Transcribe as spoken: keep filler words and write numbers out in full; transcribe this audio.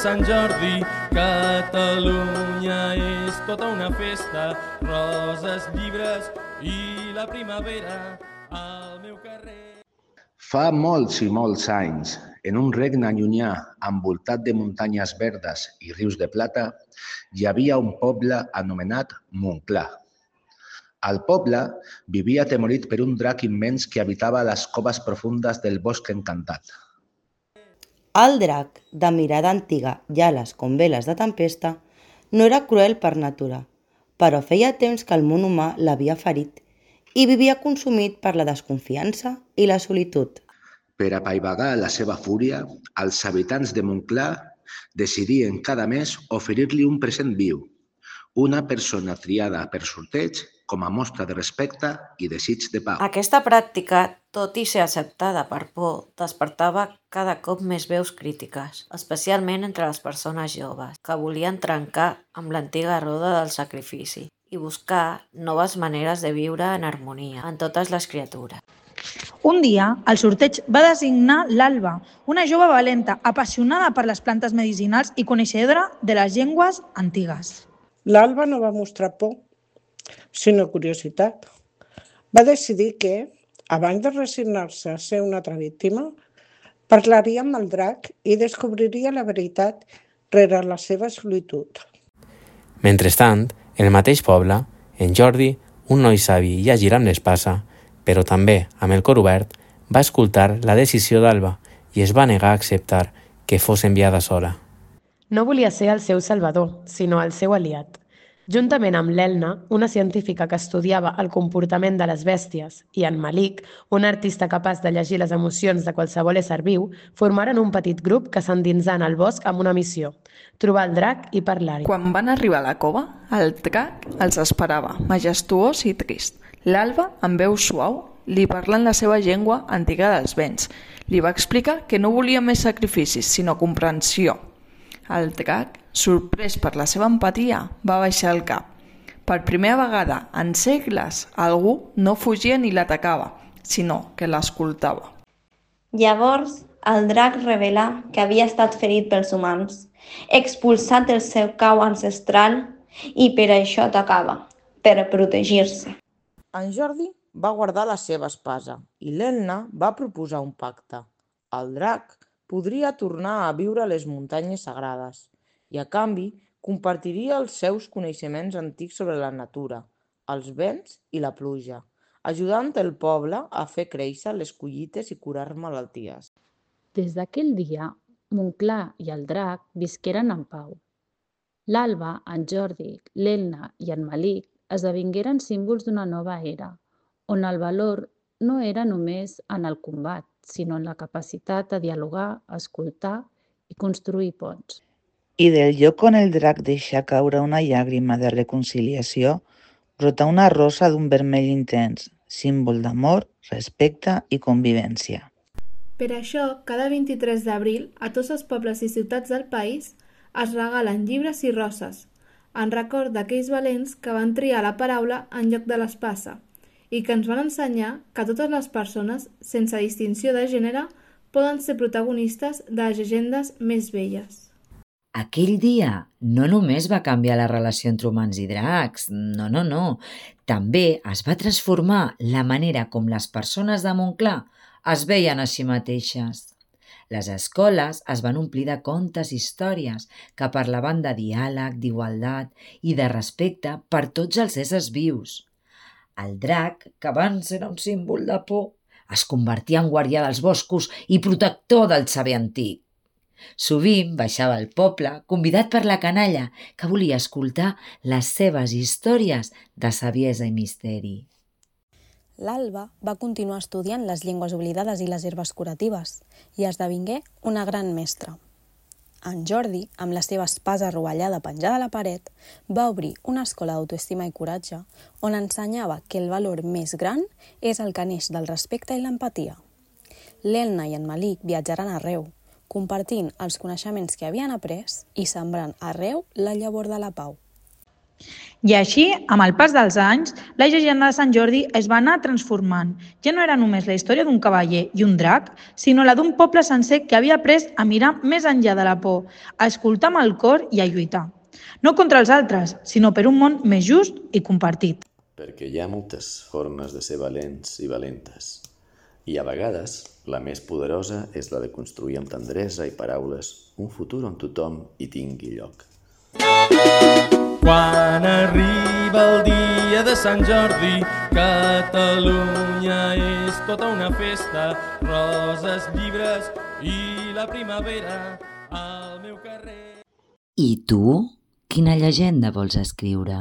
Sant Jordi, Catalunya és tota una festa, roses, llibres i la primavera al meu carrer. Fa molts i molts anys, en un regne llunyà envoltat de muntanyes verdes i rius de plata, hi havia un poble anomenat Montclar. Al poble vivia atemorit per un drac immens que habitava les coves profundes del bosc encantat. El drac, de mirada antiga i ales com veles de tempesta, no era cruel per natura, però feia temps que el món humà l'havia ferit i vivia consumit per la desconfiança i la solitud. Per apaivagar la seva fúria, els habitants de Montclar decidien cada mes oferir-li un present viu, una persona triada per sorteig com a mostra de respecte i desig de pau. Aquesta pràctica, tot i ser acceptada per por, despertava cada cop més veus crítiques, especialment entre les persones joves, que volien trencar amb l'antiga roda del sacrifici i buscar noves maneres de viure en harmonia amb totes les criatures. Un dia, el sorteig va designar l'Alba, una jove valenta, apassionada per les plantes medicinals i coneixedora de les llengües antigues. L'Alba no va mostrar por, sinó curiositat. Va decidir que, abans de resignar-se a ser una altra víctima, parlaria amb el drac i descobriria la veritat rere la seva solitud. Mentrestant, en el mateix poble, en Jordi, un noi savi i àgil amb l'espasa, però també amb el cor obert, va escoltar la decisió d'Alba i es va negar a acceptar que fos enviada sola. No volia ser el seu salvador, sinó el seu aliat. Juntament amb l'Elna, una científica que estudiava el comportament de les bèsties, i en Malik, un artista capaç de llegir les emocions de qualsevol ésser viu, formaren un petit grup que s'endinsà en el bosc amb una missió: trobar el drac i parlar-hi. Quan van arribar a la cova, el drac els esperava, majestuós i trist. L'Alba, amb veu suau, li parla en la seva llengua antiga dels vents. Li va explicar que no volia més sacrificis, sinó comprensió. El drac, sorprès per la seva empatia, va baixar el cap. Per primera vegada en segles, algú no fugia ni l'atacava, sinó que l'escoltava. Llavors, el drac revelà que havia estat ferit pels humans, expulsat del seu cau ancestral i per això atacava, per protegir-se. En Jordi va guardar la seva espasa i l'Elna va proposar un pacte. El drac podria tornar a viure a les muntanyes sagrades i, a canvi, compartiria els seus coneixements antics sobre la natura, els vents i la pluja, ajudant el poble a fer créixer les collites i curar malalties. Des d'aquell dia, Montclar i el drac visqueren en pau. L'Alba, en Jordi, l'Elna i en Malik esdevingueren símbols d'una nova era, on el valor no era només en el combat, sinó en la capacitat de dialogar, escoltar i construir ponts. I del lloc on el drac deixa caure una llàgrima de reconciliació, brota una rosa d'un vermell intens, símbol d'amor, respecte i convivència. Per això, cada vint-i-tres d'abril, a tots els pobles i ciutats del país es regalen llibres i roses, en record d'aquells valents que van triar la paraula en lloc de l'espasa i que ens van ensenyar que totes les persones, sense distinció de gènere, poden ser protagonistes de les llegendes més velles. Aquell dia no només va canviar la relació entre humans i dracs, no, no, no. També es va transformar la manera com les persones de Montclar es veien a si mateixes. Les escoles es van omplir de contes i històries que parlaven de diàleg, d'igualtat i de respecte per tots els éssers vius. El drac, que abans era un símbol de por, es convertia en guardià dels boscos i protector del saber antic. Sovint baixava al poble, convidat per la canalla, que volia escoltar les seves històries de saviesa i misteri. L'Alba va continuar estudiant les llengües oblidades i les herbes curatives i esdevingué una gran mestra. En Jordi, amb la seva espasa rovellada penjada a la paret, va obrir una escola d'autoestima i coratge on ensenyava que el valor més gran és el que neix del respecte i l'empatia. L'Elna i en Malik viatjaran arreu, compartint els coneixements que havien après i sembrant arreu la llavor de la pau. I així, amb el pas dels anys, la llegenda de Sant Jordi es va anar transformant. Ja no era només la història d'un cavaller i un drac, sinó la d'un poble sencer que havia après a mirar més enllà de la por, a escoltar amb el cor i a lluitar. No contra els altres, sinó per un món més just i compartit. Perquè hi ha moltes formes de ser valents i valentes. I a vegades, la més poderosa és la de construir amb tendresa i paraules un futur on tothom hi tingui lloc. Quan arriba el dia de Sant Jordi, Catalunya és tota una festa, roses, llibres i la primavera al meu carrer. I tu, quina llegenda vols escriure?